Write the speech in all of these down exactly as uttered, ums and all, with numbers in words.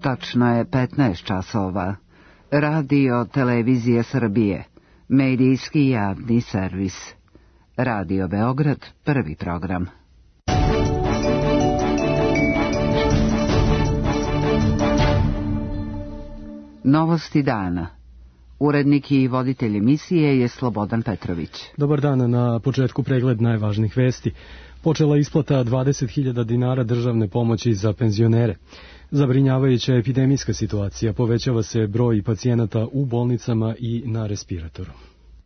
Tačno je petnaest časova. Radio Televizije Srbije. Medijski javni servis. Radio Beograd, prvi program. Novosti dana. Urednik i voditelj emisije je Slobodan Petrović. Dobar dan, na početku pregled najvažnijih vesti. Počela isplata dvadeset hiljada dinara državne pomoći za penzionere. Zabrinjavajuća epidemijska situacija, povećava se broj pacijenata u bolnicama i na respiratoru.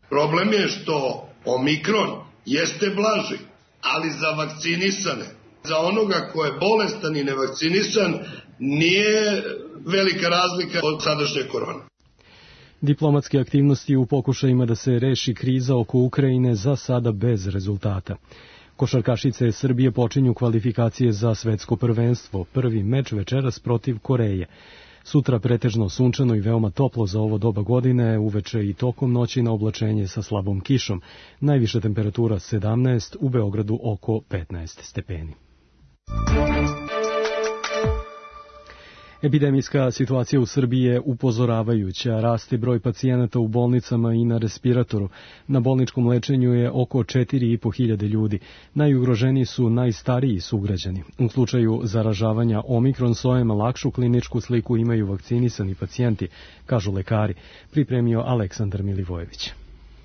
Problem je što omikron jeste blaži, ali za vakcinisane, za onoga ko je bolestan i nevakcinisan, nije velika razlika od sadašnje korone. Diplomatske aktivnosti u pokušajima da se reši kriza oko Ukrajine za sada bez rezultata. Košarkašice Srbije počinju kvalifikacije za svetsko prvenstvo, prvi meč večeras protiv Koreje. Sutra pretežno sunčano i veoma toplo za ovo doba godine, uveče i tokom noći na oblačenje sa slabom kišom. Najviša temperatura sedamnaest, u Beogradu oko petnaest stepeni. Epidemijska situacija u Srbiji je upozoravajuća, raste broj pacijenata u bolnicama i na respiratoru. Na bolničkom lečenju je oko četiri i po hiljade ljudi. Najugroženiji su najstariji sugrađani. U slučaju zaražavanja omikron sojama lakšu kliničku sliku imaju vakcinisani pacijenti, kažu lekari, pripremio Aleksandar Milivojević.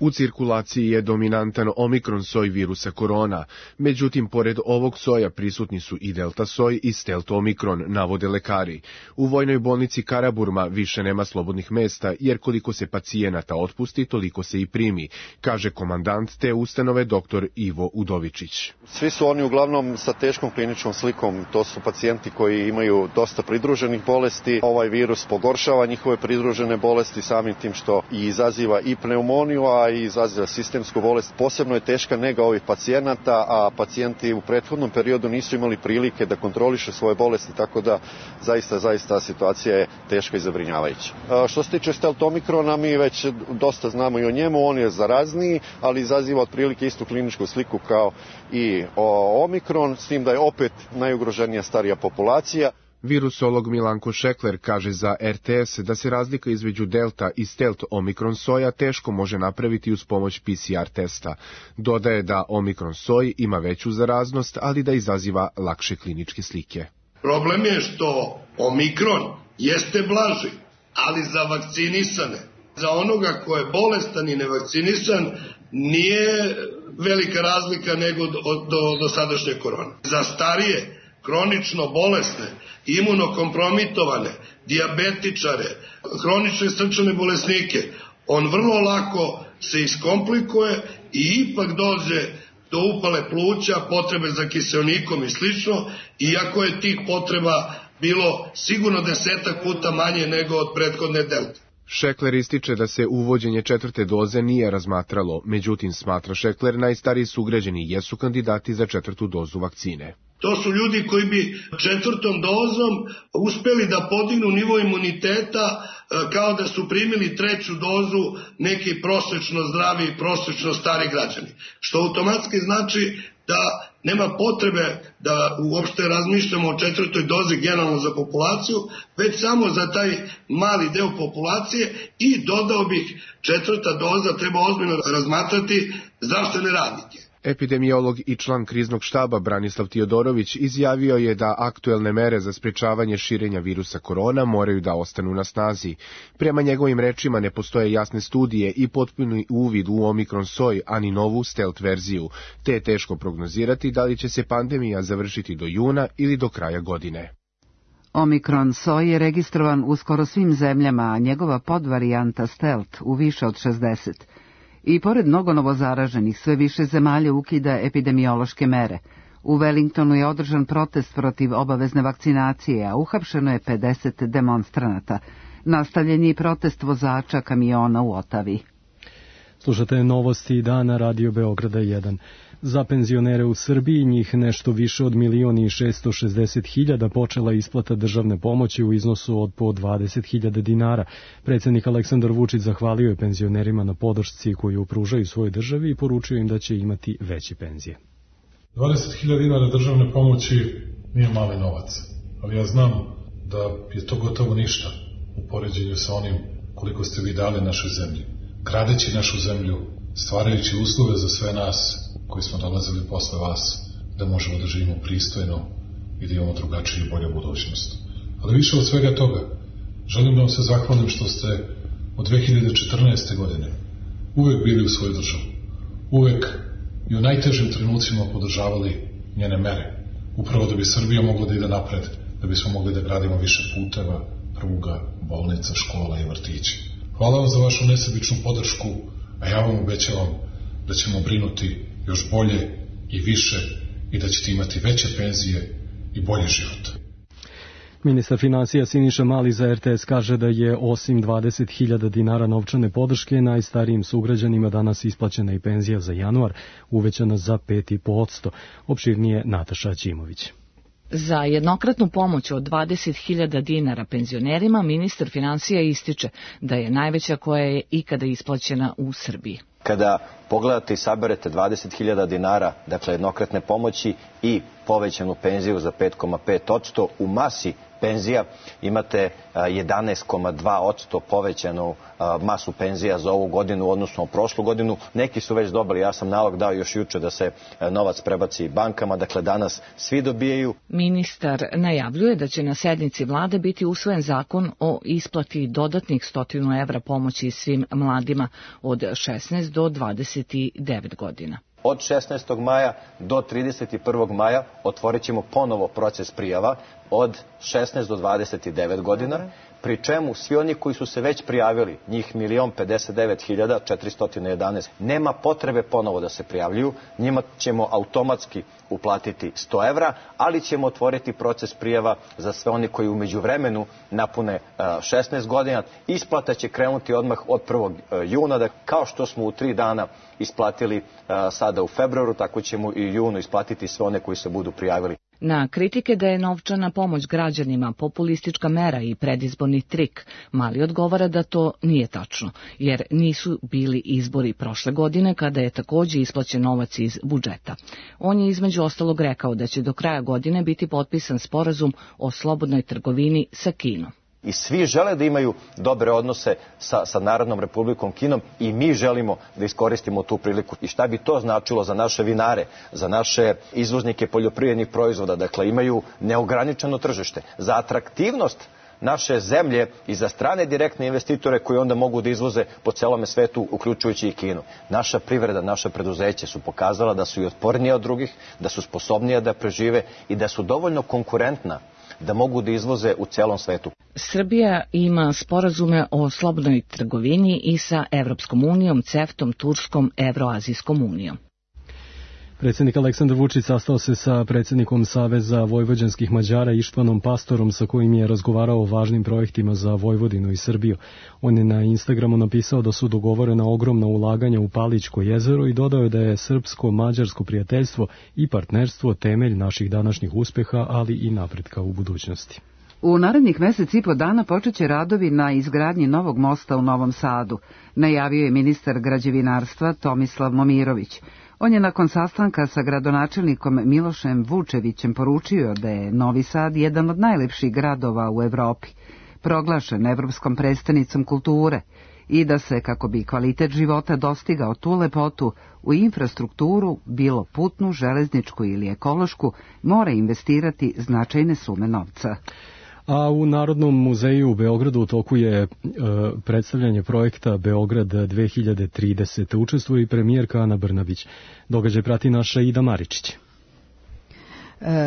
U cirkulaciji je dominantan omikron soj virusa korona, međutim, pored ovog soja prisutni su i delta soj i stealth omikron, navode lekari. U vojnoj bolnici Karaburma više nema slobodnih mesta, jer koliko se pacijenata otpusti, toliko se i primi, kaže komandant te ustanove doktor Ivo Udovičić. Svi su oni uglavnom sa teškom kliničkom slikom, to su pacijenti koji imaju dosta pridruženih bolesti. Ovaj virus pogoršava njihove pridružene bolesti samim tim što i izaziva i pneumoniju, a i izaziva sistemsku bolest. Posebno je teška nega ovih pacijenata, a pacijenti u prethodnom periodu nisu imali prilike da kontroliše svoje bolesti, tako da zaista, zaista situacija je teška i zabrinjavajuća. Što se tiče stealth omikrona, mi već dosta znamo i o njemu, on je zarazniji, ali izaziva otprilike istu kliničku sliku kao i omikron, s tim da je opet najugroženija starija populacija. Virusolog Milanko Šekler kaže za er te es da se razlika između delta i stealth omikron soja teško može napraviti uz pomoć pe ce er testa. Dodaje da omikron soj ima veću zaraznost, ali da izaziva lakše kliničke slike. Problem je što omikron jeste blaži, ali za vakcinisane, za onoga ko je bolestan i nevakcinisan, nije velika razlika nego do, do, do sadašnje korone. Za starije, kronično bolesne, imunokompromitovane, dijabetičare, hronične srčane bolesnike, on vrlo lako se iskomplikuje i ipak dođe do upale pluća, potrebe za kiseonikom i slično, iako je tih potreba bilo sigurno desetak puta manje nego od prethodne delte. Šekler ističe da se uvođenje četvrte doze nije razmatralo, međutim, smatra Šekler, najstariji sugrađani jesu kandidati za četvrtu dozu vakcine. To su ljudi koji bi četvrtom dozom uspeli da podignu nivo imuniteta kao da su primili treću dozu neki prosečno zdravi i prosečno stari građani. Što automatski znači da nema potrebe da uopšte razmišljamo o četvrtoj dozi generalno za populaciju, već samo za taj mali deo populacije i dodao bih četvrta doza treba ozbiljno razmatrati zdravstvene radnike. Epidemiolog i član kriznog štaba Branislav Tiodorović izjavio je da aktuelne mere za sprečavanje širenja virusa korona moraju da ostanu na snazi. Prema njegovim rečima ne postoje jasne studije i potpuni uvid u omikron soj, ani novu stealth verziju, te je teško prognozirati da li će se pandemija završiti do juna ili do kraja godine. Omikron soj je registrovan u skoro svim zemljama, a njegova podvarijanta stealth u više od šezdeset. I pored mnogo novozaraženih, sve više zemalja ukida epidemiološke mere. U Wellingtonu je održan protest protiv obavezne vakcinacije, a uhapšeno je pedeset demonstranata. Nastavljen je i protest vozača kamiona u Otavi. Slušate novosti dana Radio Beograda jedan. Za penzionere u Srbiji, njih nešto više od milion i šesto šezdeset hiljada, počela isplata državne pomoći u iznosu od po dvadeset hiljada dinara. Predsjednik Aleksandar Vučić zahvalio je penzionerima na podršci koju pružaju svojoj državi i poručio im da će imati veće penzije. dvadeset hiljada dinara državne pomoći nije mali novac, ali ja znam da je to gotovo ništa u poređenju sa onim koliko ste vi dali našoj zemlji. Gradeći našu zemlju, stvarajući uslove za sve nas koji smo dolazili posle vas, da možemo da živimo pristojno i da imamo drugačiju i bolju budućnost. Ali više od svega toga, želim da vam se zahvalim što ste od dve hiljade četrnaeste. godine uvek bili u svoju državu. Uvek i u najtežim trenucima podržavali njene mere. Upravo da bi Srbija mogla da ide napred, da bismo mogli da gradimo više puteva, pruga, bolnica, škola i vrtića. Hvala vam za vašu nesebičnu podršku, a ja vam obećavam da ćemo brinuti još bolje i više i da ćete imati veće penzije i bolji život. Ministar finansija Siniša Mali za R T S kaže da je osim dvadeset hiljada dinara novčane podrške najstarijim sugrađanima danas isplaćena i penzija za januar, uvećana za pet i po posto. Opširnije Nataša Ćimović. Za jednokratnu pomoć od dvadeset hiljada dinara penzionerima ministar finansija ističe da je najveća koja je ikada isplaćena u Srbiji. Kada pogledate i saberete dvadeset hiljada dinara, dakle jednokratne pomoći i povećanu penziju za pet zarez pet posto, u masi penzija imate jedanaest zarez dva posto povećanu masu penzija za ovu godinu, odnosno prošlu godinu. Neki su već dobili, ja sam nalog dao još juče da se novac prebaci bankama, dakle danas svi dobijaju. Ministar najavljuje da će na sednici vlade biti usvojen zakon o isplati dodatnih stotinu evra pomoći svim mladima od šesnaest do dvadeset devet godina. Od šesnaestog maja do trideset prvog maja otvorit ćemo ponovo proces prijava od šesnaest do dvadeset devet godina, pri čemu svi oni koji su se već prijavili, njih milion pedeset devet hiljada četiristo jedanaest, nema potrebe ponovo da se prijavljuju, njima ćemo automatski uplatiti sto evra, ali ćemo otvoriti proces prijava za sve oni koji u međuvremenu napune šesnaest godina. Isplata će krenuti odmah od prvog juna, da kao što smo u tri dana isplatili sada u februaru, tako ćemo i junu isplatiti sve one koji se budu prijavili. Na kritike da je novčana pomoć građanima populistička mera i predizborni trik, Mali odgovara da to nije tačno, jer nisu bili izbori prošle godine kada je takođe isplaćen novac iz budžeta. On je između ostalog rekao da će do kraja godine biti potpisan sporazum o slobodnoj trgovini sa Kinom. I svi žele da imaju dobre odnose sa, sa Narodnom Republikom Kinom i mi želimo da iskoristimo tu priliku. I šta bi to značilo za naše vinare, za naše izvoznike poljoprivrednih proizvoda, dakle imaju neograničeno tržište, za atraktivnost naše zemlje i za strane direktne investitore koji onda mogu da izvoze po celome svetu, uključujući i Kinu. Naša privreda, naša preduzeće su pokazala da su i otpornije od drugih, da su sposobnije da prežive i da su dovoljno konkurentna da mogu da izvoze u celom svetu. Srbija ima sporazume o slobodnoj trgovini i sa Evropskom unijom, CEFTA-om, Turskom, Evroazijskom unijom. Predsjednik Aleksandar Vučić sastao se sa predsjednikom Saveza vojvođanskih Mađara Ištvanom Pastorom, sa kojim je razgovarao o važnim projektima za Vojvodinu i Srbiju. On je na Instagramu napisao da su dogovorena ogromna ulaganja u Palićko jezero i dodao je da je srpsko-mađarsko prijateljstvo i partnerstvo temelj naših današnjih uspeha, ali i napretka u budućnosti. U narednih mesec i po dana počeće radovi na izgradnji novog mosta u Novom Sadu, najavio je ministar građevinarstva Tomislav Momirović. On je nakon sastanka sa gradonačelnikom Milošem Vučevićem poručio da je Novi Sad jedan od najlepših gradova u Evropi, proglašen evropskom prestonicom kulture, i da se, kako bi kvalitet života dostigao tu lepotu, u infrastrukturu, bilo putnu, železničku ili ekološku, mora investirati značajne sume novca. A u Narodnom muzeju u Beogradu u toku je e, predstavljanje projekta Beograd dve hiljade trideset. Učestvuje i premijerka Ana Brnabić. Događaj prati naša Ida Maričić.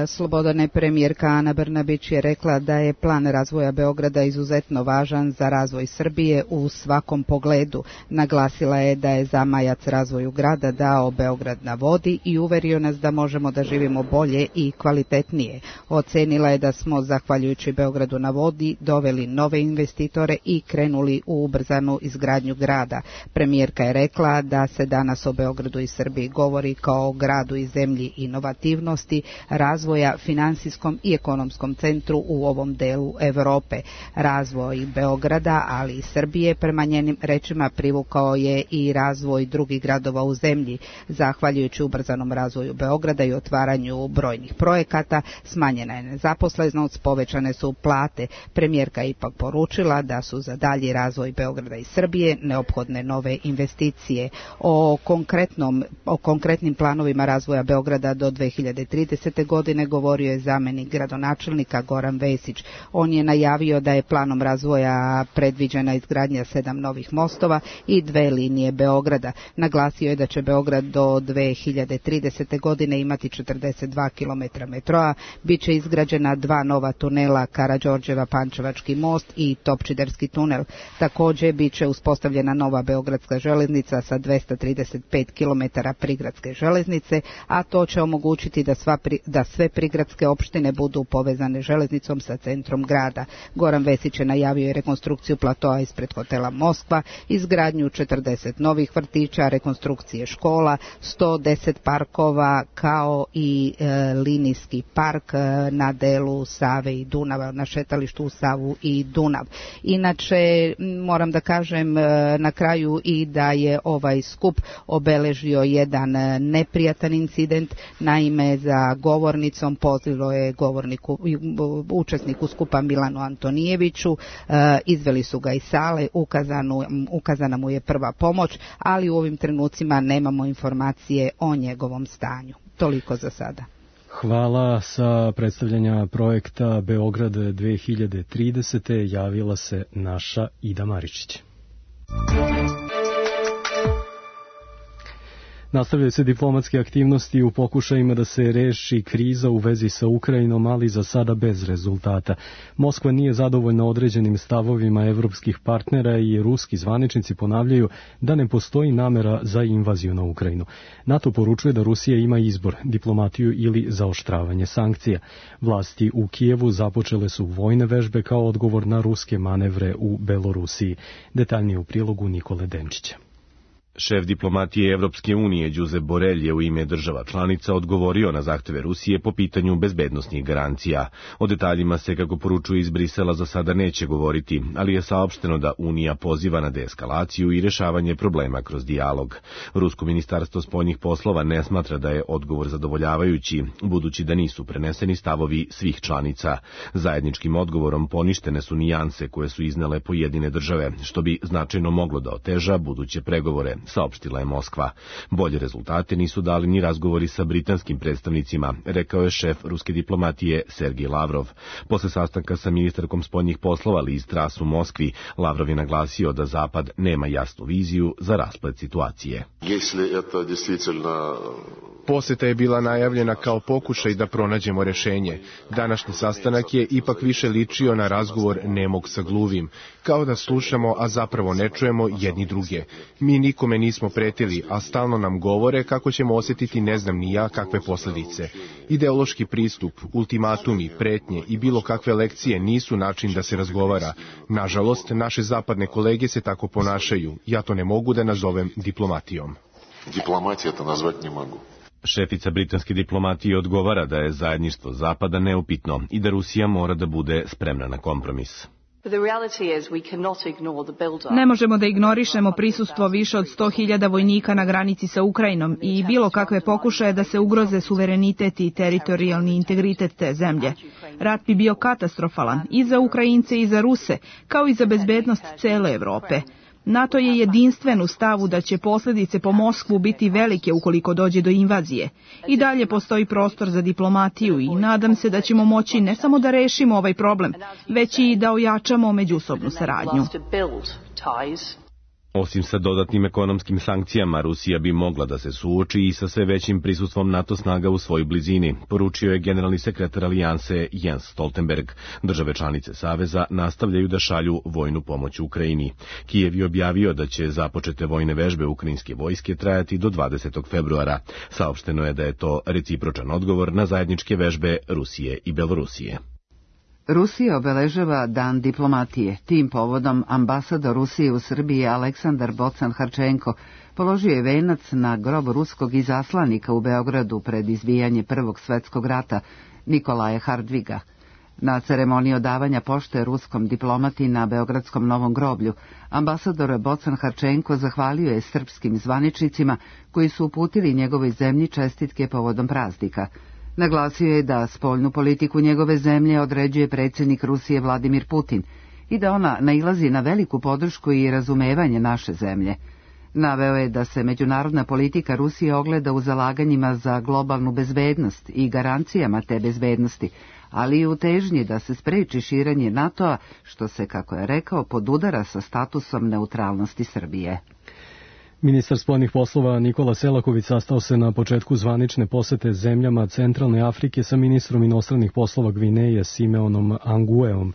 Slobodane, premijerka Ana Brnabić je rekla da je plan razvoja Beograda izuzetno važan za razvoj Srbije u svakom pogledu. Naglasila je da je zamajac razvoju grada dao Beograd na vodi i uverio nas da možemo da živimo bolje i kvalitetnije. Ocenila je da smo, zahvaljujući Beogradu na vodi, doveli nove investitore i krenuli u ubrzanu izgradnju grada. Premijerka je rekla da se danas o Beogradu i Srbiji govori kao o gradu i zemlji inovativnosti, razvoja, finansijskom i ekonomskom centru u ovom delu Europe. Razvoj Beograda, ali i Srbije, prema njenim rečima, privukao je i razvoj drugih gradova u zemlji. Zahvaljujući ubrzanom razvoju Beograda i otvaranju brojnih projekata, smanjena je nezaposlenost, povećane su plate. Premijerka je ipak poručila da su za dalji razvoj Beograda i Srbije neophodne nove investicije. O konkretnom, o konkretnim planovima razvoja Beograda do dve hiljade tridesete. godine govorio je zamenik gradonačelnika Goran Vesić. On je najavio da je planom razvoja predviđena izgradnja sedam novih mostova i dve linije Beograda. Naglasio je da će Beograd do dve hiljade tridesete. godine imati četrdeset dva kilometra metroa, bit će izgrađena dva nova tunela, Karađorđeva Pančevački most i Topčiderski tunel. Također bit će uspostavljena nova beogradska železnica sa dvesta trideset pet kilometara prigradske železnice, a to će omogućiti da, sva pri, da sve prigradske opštine budu povezane železnicom sa centrom grada. Goran Vesić je najavio i rekonstrukciju platoa ispred hotela Moskva, izgradnju četrdeset novih vrtića, rekonstrukcije škola, sto deset parkova kao i e, linijski park e, na delu Save i Dunava, na šetalištu u Savu i Dunav. Inače, moram da kažem e, na kraju i da je ovaj skup obeležio jedan neprijatan incident. Naime, za govornicom pozvalo je govorniku, učesniku skupa Milanu Antonijeviću, e, izveli su ga iz sale, ukazanu, ukazana mu je prva pomoć, ali u ovim trenucima nemamo informacije o njegovom stanju. Toliko za sada. Hvala. Sa predstavljanja projekta Beograd dve hiljade tridesete. javila se naša Ida Maričić. Nastavljaju se diplomatske aktivnosti u pokušajima da se reši kriza u vezi sa Ukrajinom, ali za sada bez rezultata. Moskva nije zadovoljna određenim stavovima evropskih partnera i ruski zvaničnici ponavljaju da ne postoji namera za invaziju na Ukrajinu. NATO poručuje da Rusija ima izbor, diplomatiju ili zaoštravanje sankcija. Vlasti u Kijevu započele su vojne vežbe kao odgovor na ruske manevre u Belorusiji. Detaljnije u prilogu Nikole Denčića. Šef diplomatije Evropske unije Josep Borrell je u ime država članica odgovorio na zahteve Rusije po pitanju bezbednosnih garancija. O detaljima se, kako poručuje iz Brisela, za sada neće govoriti, ali je saopšteno da Unija poziva na deeskalaciju i rešavanje problema kroz dijalog. Rusko ministarstvo spoljnih poslova ne smatra da je odgovor zadovoljavajući, budući da nisu preneseni stavovi svih članica. Zajedničkim odgovorom poništene su nijanse koje su iznele pojedine države, što bi značajno moglo da oteža buduće pregovore, saopštila je Moskva. Bolje rezultate nisu dali ni razgovori sa britanskim predstavnicima, rekao je šef ruske diplomatije Sergij Lavrov. Posle sastanka sa ministarkom spoljnih poslova Liz Truss u Moskvi, Lavrov je naglasio da Zapad nema jasnu viziju za rasplet situacije. Poseta je bila najavljena kao pokušaj da pronađemo rešenje. Današnji sastanak je ipak više ličio na razgovor nemog sa gluvim, kao da slušamo, a zapravo ne čujemo jedni druge. Mi nikome nismo pretili, a stalno nam govore kako ćemo osjetiti ne znam ni ja kakve posljedice. Ideološki pristup, ultimatumi, pretnje i bilo kakve lekcije nisu način da se razgovara. Nažalost, naše zapadne kolege se tako ponašaju. Ja to ne mogu da nazovem diplomatijom. Diplomatija to nazvati ne mogu. Šefica britanske diplomatije odgovara da je zajedništvo Zapada neupitno i da Rusija mora da bude spremna na kompromis. Ne možemo da ignorišemo prisustvo više od sto hiljada vojnika na granici sa Ukrajinom i bilo kakve pokušaje da se ugroze suverenitet i teritorijalni integritet te zemlje. Rat bi bio katastrofalan i za Ukrajince i za Ruse, kao i za bezbednost cele Evrope. NATO je jedinstven u stavu da će posljedice po Moskvu biti velike ukoliko dođe do invazije. I dalje postoji prostor za diplomatiju i nadam se da ćemo moći ne samo da rešimo ovaj problem, već i da ojačamo međusobnu saradnju. Osim sa dodatnim ekonomskim sankcijama, Rusija bi mogla da se suoči i sa sve većim prisustvom NATO snaga u svojoj blizini, poručio je generalni sekretar alijanse Jens Stoltenberg. Države članice Saveza nastavljaju da šalju vojnu pomoć Ukrajini. Kijev je objavio da će započete vojne vežbe ukrajinske vojske trajati do dvadesetog februara. Saopšteno je da je to recipročan odgovor na zajedničke vežbe Rusije i Belorusije. Rusija obeležava Dan diplomatije. Tim povodom ambasador Rusije u Srbiji Aleksandar Bocan-Harčenko položio je venac na grob ruskog izaslanika u Beogradu pred izbijanje Prvog svetskog rata Nikolaja Hardviga. Na ceremoniji odavanja pošte ruskom diplomati na Beogradskom Novom groblju, ambasador Bocan-Harčenko zahvalio je srpskim zvaničnicima koji su uputili njegovoj zemlji čestitke povodom praznika. Naglasio je da spoljnu politiku njegove zemlje određuje predsjednik Rusije Vladimir Putin i da ona nailazi na veliku podršku i razumevanje naše zemlje. Naveo je da se međunarodna politika Rusije ogleda u zalaganjima za globalnu bezbednost i garancijama te bezbednosti, ali i u težnji da se spreči širenje NATO-a, što se, kako je rekao, podudara sa statusom neutralnosti Srbije. Ministar spoljnih poslova Nikola Selaković sastao se na početku zvanične posete zemljama Centralne Afrike sa ministrom inostranih poslova Gvineje Simeonom Angueom.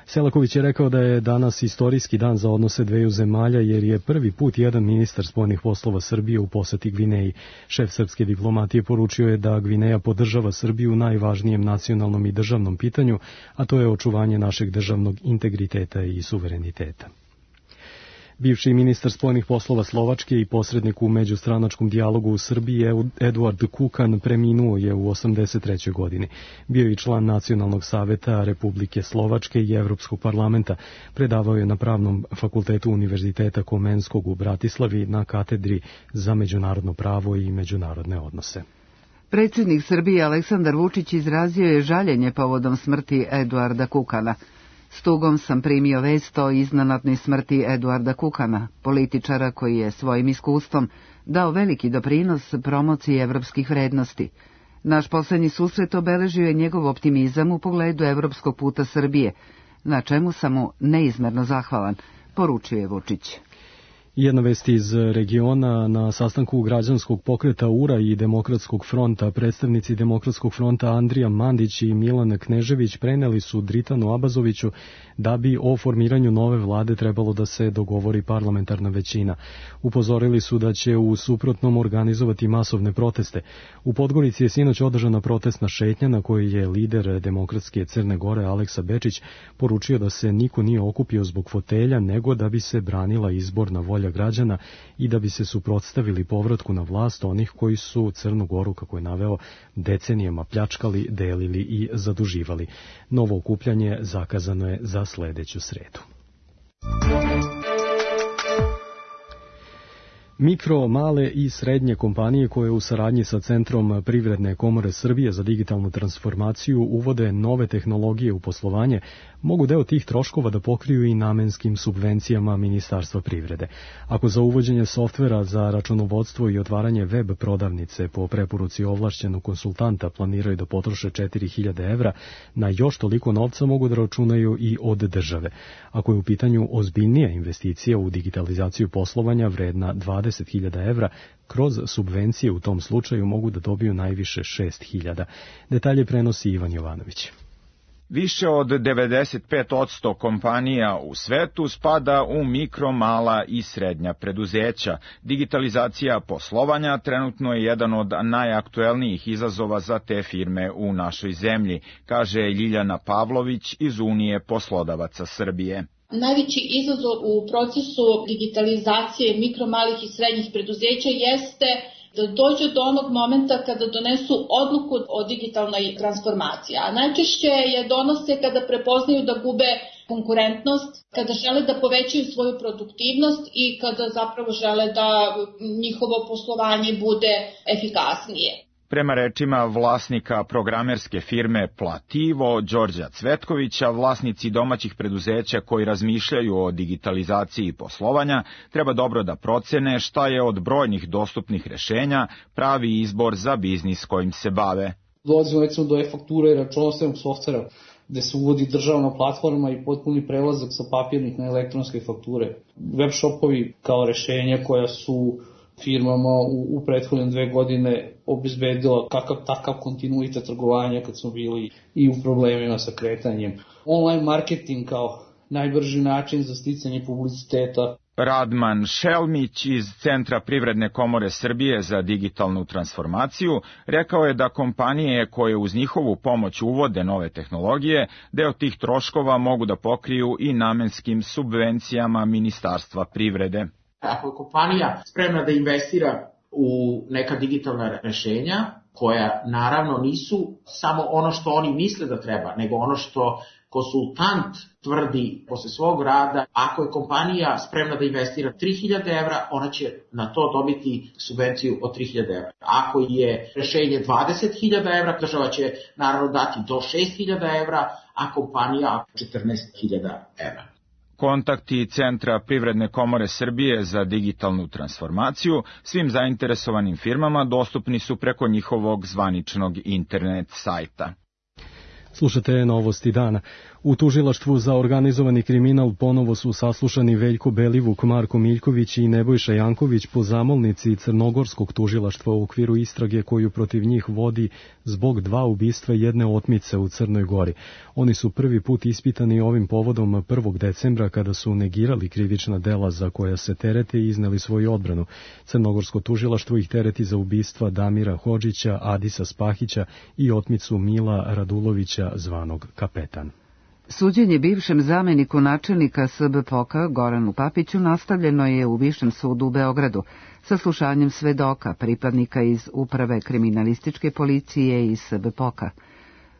Selaković je rekao da je danas istorijski dan za odnose dveju zemalja jer je prvi put jedan ministar spoljnih poslova Srbije u poseti Gvineji. Šef srpske diplomatije poručio je da Gvineja podržava Srbiju u najvažnijem nacionalnom i državnom pitanju, a to je očuvanje našeg državnog integriteta i suvereniteta. Bivši ministar spoljnih poslova Slovačke i posrednik u međustranačkom dijalogu u Srbiji Eduard Kukan preminuo je u osamdeset trećoj godini. Bio je i član Nacionalnog saveta Republike Slovačke i Evropskog parlamenta. Predavao je na Pravnom fakultetu Univerziteta Komenskog u Bratislavi na katedri za međunarodno pravo i međunarodne odnose. Predsjednik Srbije Aleksandar Vučić izrazio je žaljenje povodom smrti Eduarda Kukana. S tugom sam primio vest o iznenadnoj smrti Eduarda Kukana, političara koji je svojim iskustvom dao veliki doprinos promociji evropskih vrednosti. Naš poslednji susret obeležio je njegov optimizam u pogledu evropskog puta Srbije, na čemu sam mu neizmerno zahvalan, poručio je Vučić. Jedna vest iz regiona: na sastanku građanskog pokreta U R A i Demokratskog fronta predstavnici Demokratskog fronta Andrija Mandić i Milan Knežević preneli su Dritanu Abazoviću da bi o formiranju nove vlade trebalo da se dogovori parlamentarna većina. Upozorili su da će u suprotnom organizovati masovne proteste. U Podgorici je sinoć održana protestna šetnja na kojoj je lider Demokratske Crne Gore Aleksa Bečić poručio da se niko nije okupio zbog fotelja, nego da bi se branila izborna volja građana i da bi se suprotstavili povratku na vlast onih koji su Crnu Goru, kako je naveo, decenijama pljačkali, delili i zaduživali. Novo okupljanje zakazano je za sledeću sredu. Mikro, male i srednje kompanije koje u saradnji sa Centrom Privredne komore Srbije za digitalnu transformaciju uvode nove tehnologije u poslovanje, mogu deo tih troškova da pokriju i namenskim subvencijama Ministarstva privrede. Ako za uvođenje softvera za računovodstvo i otvaranje web prodavnice po preporuci ovlašćenog konsultanta planiraju da potroše četiri hiljade evra, na još toliko novca mogu da računaju i od države. Ako je u pitanju ozbiljnija investicija u digitalizaciju poslovanja vredna dvadeset hiljada evra, kroz subvencije u tom slučaju mogu da dobiju najviše šest hiljada. Detalje prenosi Ivan Jovanović. Više od devedeset pet posto kompanija u svetu spada u mikro, mala i srednja preduzeća. Digitalizacija poslovanja trenutno je jedan od najaktuelnijih izazova za te firme u našoj zemlji, kaže Ljiljana Pavlović iz Unije poslodavaca Srbije. Najveći izazov u procesu digitalizacije mikro, malih i srednjih preduzeća jeste da dođe do onog momenta kada donesu odluku o digitalnoj transformaciji. A najčešće je donose kada prepoznaju da gube konkurentnost, kada žele da povećaju svoju produktivnost i kada zapravo žele da njihovo poslovanje bude efikasnije. Prema rečima vlasnika programerske firme Plativo, Đorđa Cvetkovića, vlasnici domaćih preduzeća koji razmišljaju o digitalizaciji poslovanja treba dobro da procene šta je od brojnih dostupnih rešenja pravi izbor za biznis kojim se bave. Dolazimo recimo do e-fakture i računovodstvenog softvera, gde se uvodi državna platforma i potpuni prelazak sa papirnih na elektronske fakture. Web shopovi kao rešenja koja su firmama u, u prethodne dve godine obezbedila kakav takav kontinuitet trgovanja kad smo bili i u problemima sa kretanjem. Online marketing kao najbrži način za sticanje publiciteta. Radman Šelmić iz Centra Privredne komore Srbije za digitalnu transformaciju rekao je da kompanije koje uz njihovu pomoć uvode nove tehnologije, deo tih troškova mogu da pokriju i namenskim subvencijama Ministarstva privrede. Ako je kompanija spremna da investira u neka digitalna rešenja, koja naravno nisu samo ono što oni misle da treba, nego ono što konsultant tvrdi posle svog rada, ako je kompanija spremna da investira tri hiljade evra, ona će na to dobiti subvenciju od tri hiljade evra. Ako je rešenje dvadeset hiljada evra, država će naravno dati do šest hiljada evra, a kompanija četrnaest hiljada evra. Kontakti Centra Privredne komore Srbije za digitalnu transformaciju svim zainteresovanim firmama dostupni su preko njihovog zvaničnog internet sajta. Slušate Novosti dana. U tužilaštvu za organizovani kriminal ponovo su saslušani Veljko Belivuk, Marko Miljković i Nebojša Janković po zamolnici Crnogorskog tužilaštva u okviru istrage koju protiv njih vodi zbog dva ubistva i jedne otmice u Crnoj Gori. Oni su prvi put ispitani ovim povodom prvog decembra kada su negirali krivična dela za koja se terete i izneli svoju odbranu. Crnogorsko tužilaštvo ih tereti za ubistva Damira Hodžića, Adisa Spahića i otmicu Mila Radulovića zvanog Kapetan. Suđenje bivšem zameniku načelnika S B P O K-a Goranu Papiću nastavljeno je u Višem sudu u Beogradu sa slušanjem svedoka, pripadnika iz Uprave kriminalističke policije i S B P O K-a.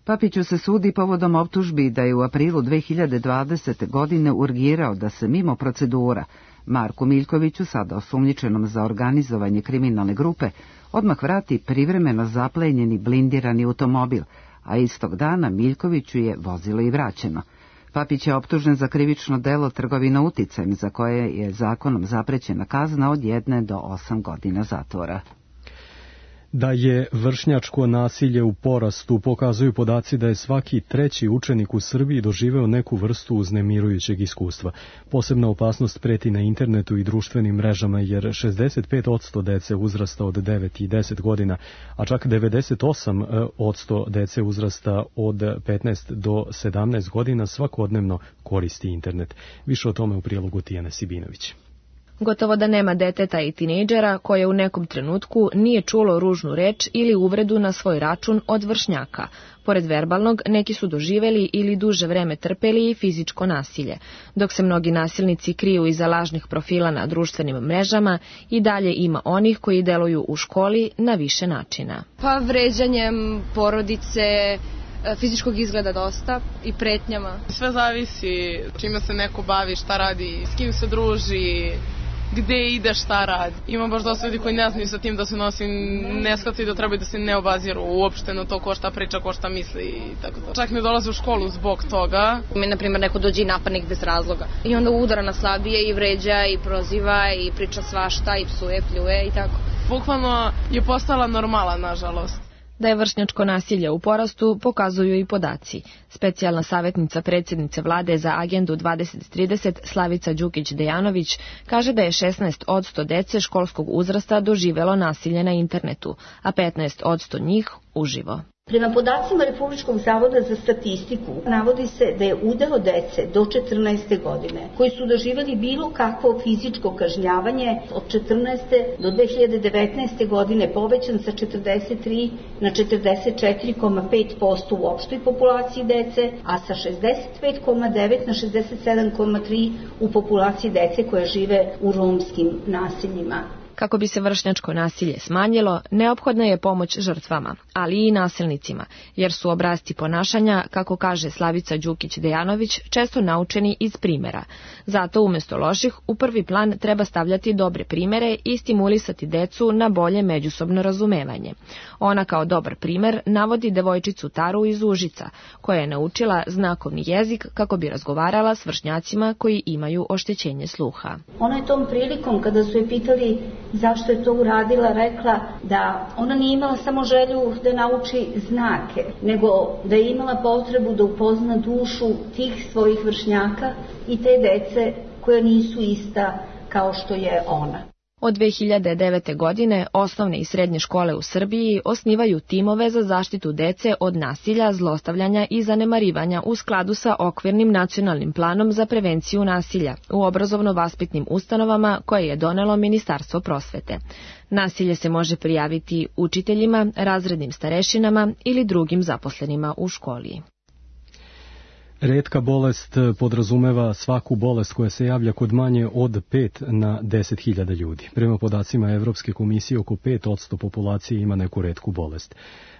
Papiću se sudi povodom optužbi da je u aprilu dve hiljade dvadesete. godine urgirao da se mimo procedura Marku Miljkoviću, sada osumnjičenom za organizovanje kriminalne grupe, odmah vrati privremeno zaplenjeni blindirani automobil, a istog dana Miljkoviću je vozilo i vraćeno. Papić je optužen za krivično delo trgovina uticajem, za koje je zakonom zaprećena kazna od jedne do osam godina zatvora. Da je vršnjačko nasilje u porastu pokazuju podaci da je svaki treći učenik u Srbiji doživeo neku vrstu uznemirujućeg iskustva. Posebna opasnost preti na internetu i društvenim mrežama jer šezdeset pet posto dece uzrasta od devet i deset godina, a čak devedeset osam posto dece uzrasta od petnaest do sedamnaest godina svakodnevno koristi internet. Više o tome u prilogu Tijane Sibinović. Gotovo da nema deteta i tinejdžera koje u nekom trenutku nije čulo ružnu reč ili uvredu na svoj račun od vršnjaka. Pored verbalnog, neki su doživeli ili duže vreme trpeli i fizičko nasilje. Dok se mnogi nasilnici kriju iza lažnih profila na društvenim mrežama, i dalje ima onih koji deluju u školi na više načina. Pa vređanjem porodice, fizičkog izgleda dosta i pretnjama. Sve zavisi čime se neko bavi, šta radi, s kim se druži, gde ide, šta radi. Ima baš dosta ljudi koji ne znaju sa tim da se nosi, ne shvataju da trebaju da se ne obaziru uopšte na to ko šta priča, ko šta misli i tako to. Čak ne dolaze u školu zbog toga. Mi, na primjer, neko dođe i napadne bez razloga. I onda udara na slabije i vređa i proziva i priča svašta i psuje, pljuje i tako. Bukvalno je postala normala, nažalost. Da je vršnjačko nasilje u porastu pokazuju i podaci. Specijalna savjetnica predsjednice vlade za agendu dvadeset trideset Slavica Đukić-Dejanović kaže da je šesnaest posto dece školskog uzrasta doživelo nasilje na internetu, a petnaest posto njih uživo. Prema podacima Republičkog zavoda za statistiku navodi se da je udeo dece do četrnaeste godine koji su doživjeli bilo kakvo fizičko kažnjavanje od četrnaeste do dve hiljade devetnaeste. godine povećan sa četrdeset tri na četrdeset četiri zarez pet posto u opštoj populaciji dece, a sa šezdeset pet zarez devet na šezdeset sedam zarez tri u populaciji dece koja žive u romskim naseljima. Kako bi se vršnjačko nasilje smanjilo, neophodna je pomoć žrtvama, ali i nasilnicima, jer su obrasci ponašanja, kako kaže Slavica Đukić-Dejanović, često naučeni iz primjera. Zato umjesto loših, u prvi plan treba stavljati dobre primjere i stimulisati decu na bolje međusobno razumevanje. Ona kao dobar primjer navodi devojčicu Taru iz Užica, koja je naučila znakovni jezik kako bi razgovarala s vršnjacima koji imaju oštećenje sluha. Ona je tom prilikom, kada su je pitali zašto je to uradila, rekla da ona nije imala samo želju da nauči znake, nego da je imala potrebu da upozna dušu tih svojih vršnjaka i te dece koja nisu ista kao što je ona. Od dve hiljade devete. godine osnovne i srednje škole u Srbiji osnivaju timove za zaštitu dece od nasilja, zlostavljanja i zanemarivanja u skladu sa okvirnim nacionalnim planom za prevenciju nasilja u obrazovno-vaspitnim ustanovama koje je donelo Ministarstvo prosvete. Nasilje se može prijaviti učiteljima, razrednim starešinama ili drugim zaposlenima u školi. Retka bolest podrazumeva svaku bolest koja se javlja kod manje od pet na deset hiljada ljudi. Prema podacima Evropske komisije, oko pet posto populacije ima neku retku bolest.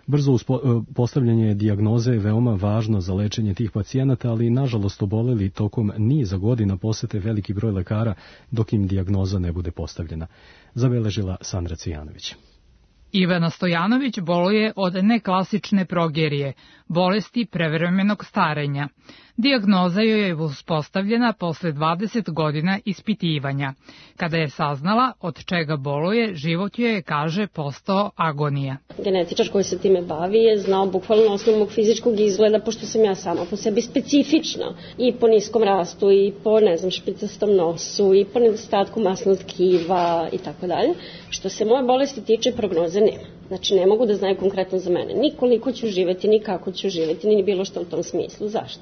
Brzo uspo, postavljanje dijagnoze je veoma važno za lečenje tih pacijenata, ali nažalost oboleli tokom niza godina posete veliki broj lekara dok im dijagnoza ne bude postavljena. Zabeležila Sandra Cijanović. Ivana Stojanović boluje od neklasične progerije, bolesti prevremenog starenja. Dijagnoza joj je uspostavljena posle dvadeset godina ispitivanja. Kada je saznala od čega boluje, život joj je, kaže, postao agonija. Genetičar koji se time bavi je znao bukvalno osnovu mog fizičkog izgleda, pošto sam ja sama po sebi specifična i po niskom rastu i po, ne znam, špicastom nosu i po nedostatku masnog tkiva i tako dalje. Što se moje bolesti tiče, prognoze nema. Znači, ne mogu da znaju konkretno za mene ni koliko ću živeti, ni kako ću živeti, ni bilo što u tom smislu. Zašto?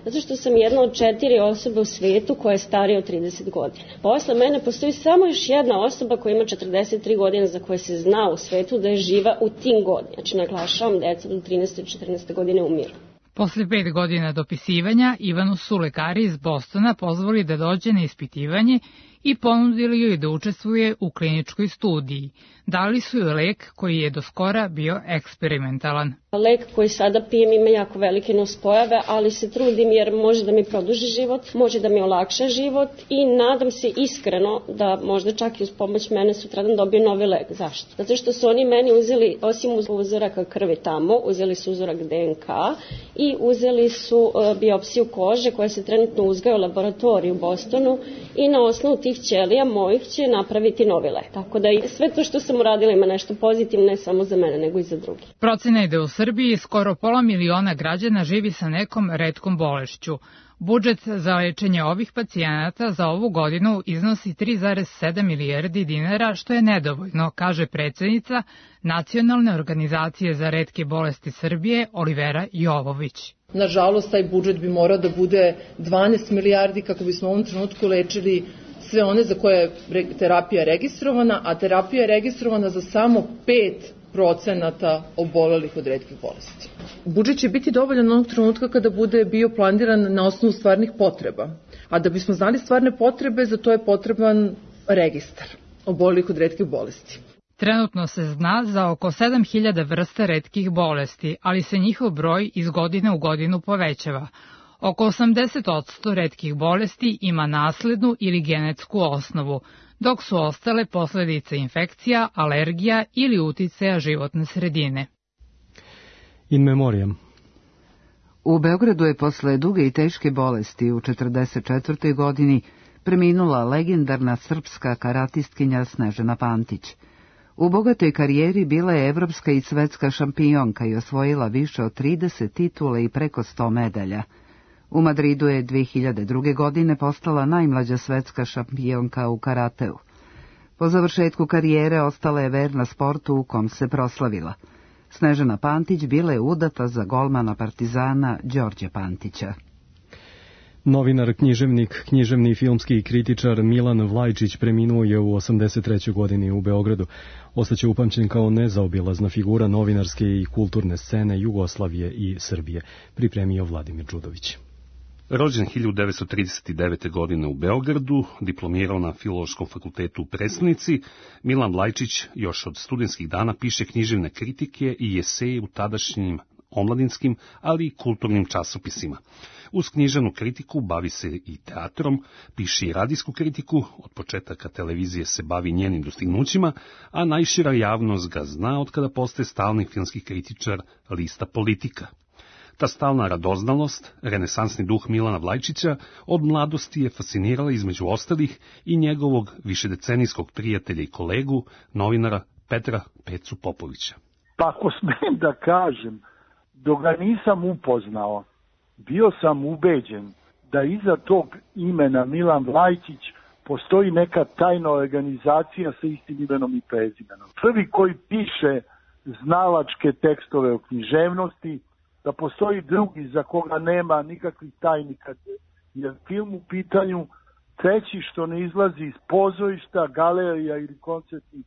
Zato što sam jedna od četiri osobe u svetu koja je starija od trideset godina. Posle mene postoji samo još jedna osoba koja ima četrdeset tri godine za koje se zna u svetu da je živa u tim godinama. Znači, naglašavam, deca do trinaeste i četrnaeste godine umiru. Posle pet godina dopisivanja, Ivanu su lekari iz Bostona pozvali da dođe na ispitivanje i ponudili joj da učestvuje u kliničkoj studiji. Dali su joj lek koji je do skora bio eksperimentalan. Lek koji sada pijem ima jako velike nuspojave, ali se trudim jer može da mi produži život, može da mi olakša život i nadam se iskreno da možda čak i uz pomoć mene sutradan dobiju novi lek. Zašto? Zato što su oni meni uzeli, osim uzoraka krvi tamo, uzeli su uzorak de en ka i uzeli su uh, biopsiju kože koja se trenutno uzgaja u laboratoriju u Bostonu i na osnovu tih ćelija mojih će napraviti novi lek. Tako da i sve to što sam uradila ima nešto pozitivno ne samo za mene nego i za drugi. Procena je da u Srbiji skoro pola miliona građana živi sa nekom retkom bolešću. Budžet za lečenje ovih pacijenata za ovu godinu iznosi tri zarez sedam milijardi dinara, što je nedovoljno, kaže predsednica Nacionalne organizacije za retke bolesti Srbije Olivera Jovović. Nažalost, taj budžet bi morao da bude dvanaest milijardi kako bismo u ovom trenutku lečili sve one za koje je terapija registrovana, a terapija je registrovana za samo pet procenata obolelih od retkih bolesti. Budžet će biti dovoljan onog trenutka kada bude bio planiran na osnovu stvarnih potreba. A da bismo znali stvarne potrebe, za to je potreban registar obolelih od retkih bolesti. Trenutno se zna za oko sedam hiljada vrsta retkih bolesti, ali se njihov broj iz godine u godinu povećava. Oko osamdeset posto retkih bolesti ima naslednu ili genetsku osnovu, dok su ostale posledice infekcija, alergija ili uticaja životne sredine. In memoriam. U Beogradu je posle duge i teške bolesti u četrdeset četvrtoj godini preminula legendarna srpska karatistkinja Snežana Pantić. U bogatoj karijeri bila je evropska i svetska šampionka i osvojila više od trideset titula i preko sto medalja. U Madridu je dve hiljade druge. godine postala najmlađa svetska šampionka u karateu. Po završetku karijere ostala je verna sportu u kom se proslavila. Snežana Pantić bila je udata za golmana Partizana Đorđe Pantića. Novinar, književnik, književni filmski kritičar Milan Vlajčić preminuo je u osamdeset trećoj. godini u Beogradu. Ostaće upamćen kao nezaobilazna figura novinarske i kulturne scene Jugoslavije i Srbije, pripremio Vladimir Đudović. Rođen hiljadu devetsto trideset devete. godine u Beogradu, diplomirao na Filološkom fakultetu u Prestonici, Milan Vlajčić još od studentskih dana piše književne kritike i eseje u tadašnjim omladinskim, ali i kulturnim časopisima. Uz književnu kritiku bavi se i teatrom, piše i radijsku kritiku, od početaka televizije se bavi njenim dostignućima, a najšira javnost ga zna od kada postaje stalni filmski kritičar lista Politika. Ta stalna radoznalost, renesansni duh Milana Vlajčića, od mladosti je fascinirala između ostalih i njegovog višedecenijskog prijatelja i kolegu, novinara Petra Pecu Popovića. Pa ako smem da kažem, dok ga nisam upoznao, bio sam ubeđen da iza tog imena Milan Vlajčić postoji neka tajna organizacija sa istim imenom i prezimenom. Prvi koji piše znalačke tekstove o književnosti, da postoji drugi za koga nema nikakvih tajni kad je film u pitanju, treći što ne izlazi iz pozorišta, galerija ili koncertnih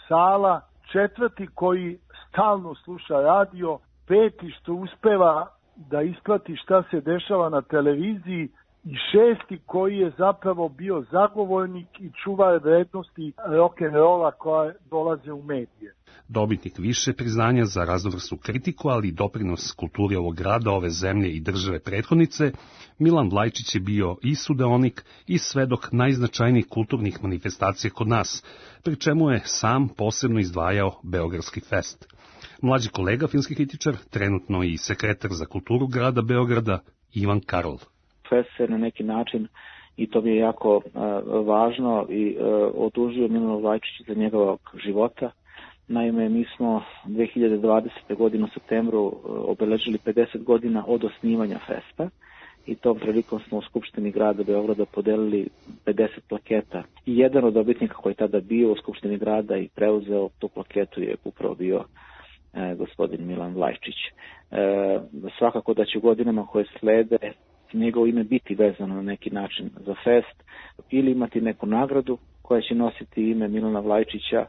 sala, četvrti koji stalno sluša radio, peti što uspeva da isprati šta se dešava na televiziji i šesti koji je zapravo bio zagovornik i čuvar vrednosti rock'n'rolla koja dolaze u medije. Dobitnik više priznanja za raznovrsnu kritiku, ali i doprinos kulturi ovog grada, ove zemlje i države prethodnice, Milan Vlajčić je bio i sudeonik i svedok najznačajnijih kulturnih manifestacija kod nas, pri čemu je sam posebno izdvajao Beogradski fest. Mlađi kolega, filmski kritičar, trenutno i sekretar za kulturu grada Beograda, Ivan Karol. Fest se na neki način, i to mi je jako uh, važno, i uh, odužio Milanu Vlajčiću za njegovog života. Naime, mi smo dve hiljade dvadesete. godine u septembru uh, obeležili pedeset godina od osnivanja festa i tom prilikom smo u Skupštini grada Beograda podelili pedeset plaketa. I jedan od dobitnika koji je tada bio u Skupštini grada i preuzeo tu plaketu je upravo bio uh, gospodin Milan Vlajčić. Uh, svakako da će u godinama koje slede njegovo ime biti vezano na neki način za fest, ili imati neku nagradu koja će nositi ime Milana Vlajčića,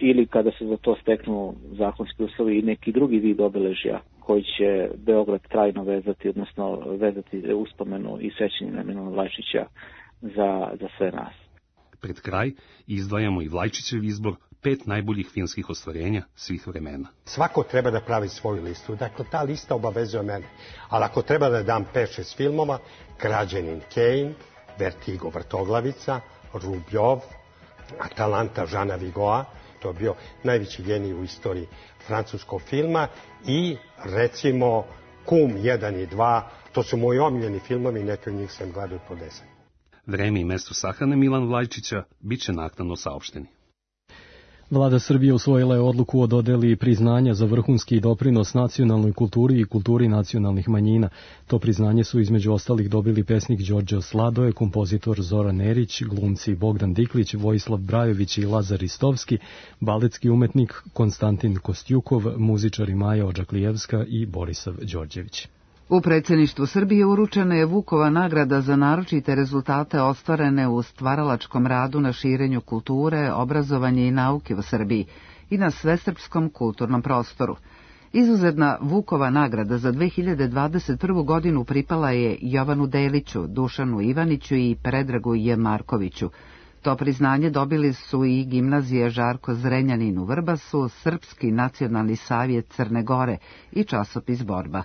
ili kada se za to steknu zakonski uslovi i neki drugi vid obeležja koji će Beograd trajno vezati, odnosno vezati uspomenu i sećanje na Milana Vlajčića za, za sve nas. Pred kraj izdvajamo i Vlajčićev izbor pet najboljih filmskih ostvarenja svih vremena. Svako treba da pravi svoju listu, dakle ta lista obavezuje mene. Ali ako treba da dam pet šest filmova, Građanin Kane, Vertigo Vrtoglavica, Rubljov, Atalanta Žana Vigoa, to je bio najveći genij u istoriji francuskog filma, i recimo Kum jedan i dva, to su moji omiljeni filmovi, neki od njih sam gledao po deset. Vreme i mesto sahrane Milan Vlajčića bit će naknadno saopšteni. Vlada Srbije usvojila je odluku o dodeli priznanja za vrhunski doprinos nacionalnoj kulturi i kulturi nacionalnih manjina. To priznanje su između ostalih dobili pesnik Đorđe Sladoje, kompozitor Zoran Erić, glumci Bogdan Diklić, Vojislav Brajović i Lazar Ristovski, baletski umetnik Konstantin Kostjukov, muzičari Maja Odžaklijevska i Borisav Đorđević. U predsjedništvu Srbije uručena je Vukova nagrada za naročite rezultate ostvarene u stvaralačkom radu na širenju kulture, obrazovanja i nauke u Srbiji i na svesrpskom kulturnom prostoru. Izuzetna Vukova nagrada za dve hiljade dvadeset prvu. godinu pripala je Jovanu Deliću, Dušanu Ivaniću i Predragu J. Markoviću. To priznanje dobili su i gimnazije Žarko Zrenjanin u Vrbasu, Srpski nacionalni savjet Crne Gore i časopis Borba.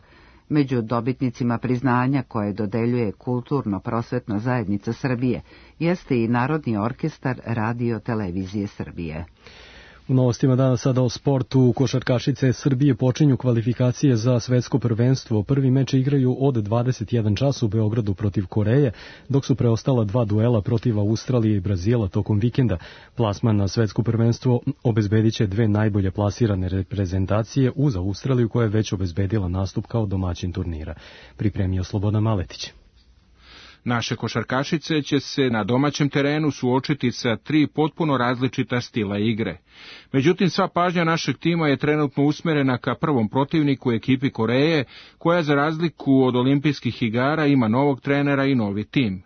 Među dobitnicima priznanja koje dodeljuje Kulturno-prosvetna zajednica Srbije jeste i Narodni orkestar Radio televizije Srbije. U novostima dana sada o sportu. Košarkašice Srbije počinju kvalifikacije za svetsko prvenstvo. Prvi meč igraju od dvadeset jedan čas u Beogradu protiv Koreje, dok su preostala dva duela protiv Australije i Brazila tokom vikenda. Plasman na svetsko prvenstvo obezbedit će dve najbolje plasirane reprezentacije uz Australiju, koja je već obezbedila nastup kao domaćin turnira. Pripremio Slobodan Maletić. Naše košarkašice će se na domaćem terenu suočiti sa tri potpuno različita stila igre. Međutim, sva pažnja našeg tima je trenutno usmerena ka prvom protivniku, ekipi Koreje, koja za razliku od olimpijskih igara ima novog trenera i novi tim.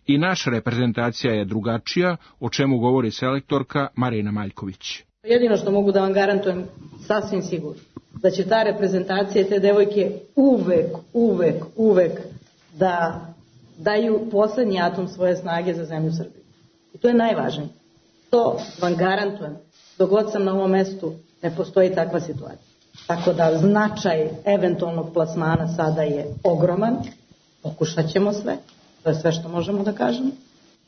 I naša reprezentacija je drugačija, o čemu govori selektorka Marina Maljković. Jedino što mogu da vam garantujem sasvim sigurno, da će ta reprezentacija i te devojke uvek, uvek, uvek da daju poslednji atom svoje snage za zemlju Srbiju. I to je najvažnije. To vam garantujem. Dok god sam na ovom mestu, ne postoji takva situacija. Tako da značaj eventualnog plasmana sada je ogroman. Pokušat ćemo sve. To je sve što možemo da kažemo.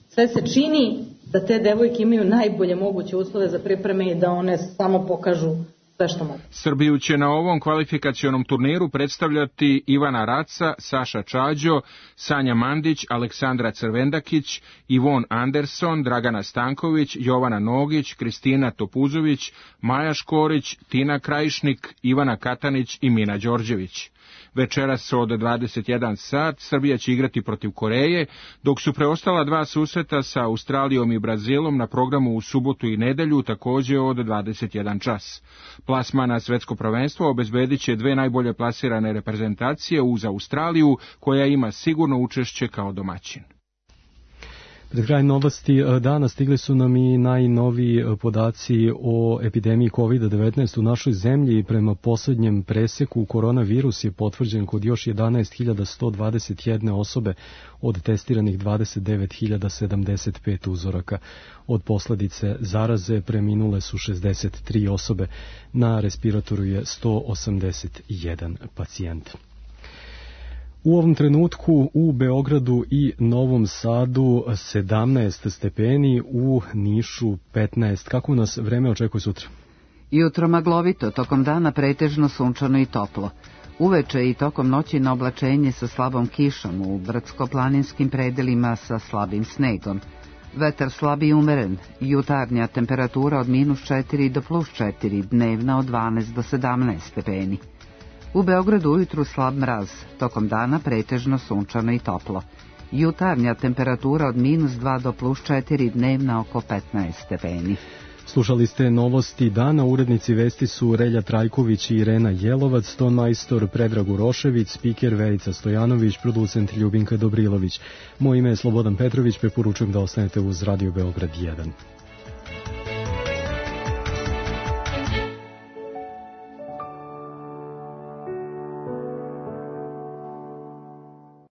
Sve se čini da te devojke imaju najbolje moguće uslove za pripreme i da one samo pokažu sve što mogu. Srbiju će na ovom kvalifikacionom turniru predstavljati Ivana Raca, Saša Čađo, Sanja Mandić, Aleksandra Crvendakić, Ivon Anderson, Dragana Stanković, Jovana Nogić, Kristina Topuzović, Maja Škorić, Tina Krajišnik, Ivana Katanić i Mina Đorđević. Večeras od dvadeset jedan sat Srbija će igrati protiv Koreje, dok su preostala dva susreta sa Australijom i Brazilom na programu u subotu i nedelju takođe od dvadeset jedan čas. Plasman na svetsko prvenstvo obezbedit će dve najbolje plasirane reprezentacije uz Australiju, koja ima sigurno učešće kao domaćin. Pred kraj novosti dana stigli su nam i najnoviji podaci o epidemiji kovid devetnaest u našoj zemlji. Prema poslednjem preseku koronavirus je potvrđen kod još jedanaest hiljada sto dvadeset jedne osobe od testiranih dvadeset devet hiljada sedamdeset pet uzoraka. Od posledice zaraze preminule su šezdeset tri osobe, na respiratoru je sto osamdeset jedan pacijent. U ovom trenutku u Beogradu i Novom Sadu sedamnaest stepeni, u Nišu petnaest. Kako nas vreme očekuje sutra? Jutro maglovito, tokom dana pretežno sunčano i toplo. Uveče i tokom noći na oblačenje sa slabom kišom, u brdsko-planinskim predelima sa slabim snegom. Vetar slab i umeren, jutarnja temperatura od minus četiri do plus četiri, dnevna od dvanaest do sedamnaest stepeni. U Beogradu ujutru slab mraz, tokom dana pretežno sunčano i toplo. Jutarnja temperatura od minus dva do plus četiri, dnevna oko petnaest stepeni. Slušali ste novosti dana, urednici vesti su Relja Trajković i Irena Jelovac, ton majstor Predrag Urošević, spiker Verica Stojanović, producent Ljubinka Dobrilović. Moje ime je Slobodan Petrović, preporučujem da ostanete uz Radio Beograd jedan.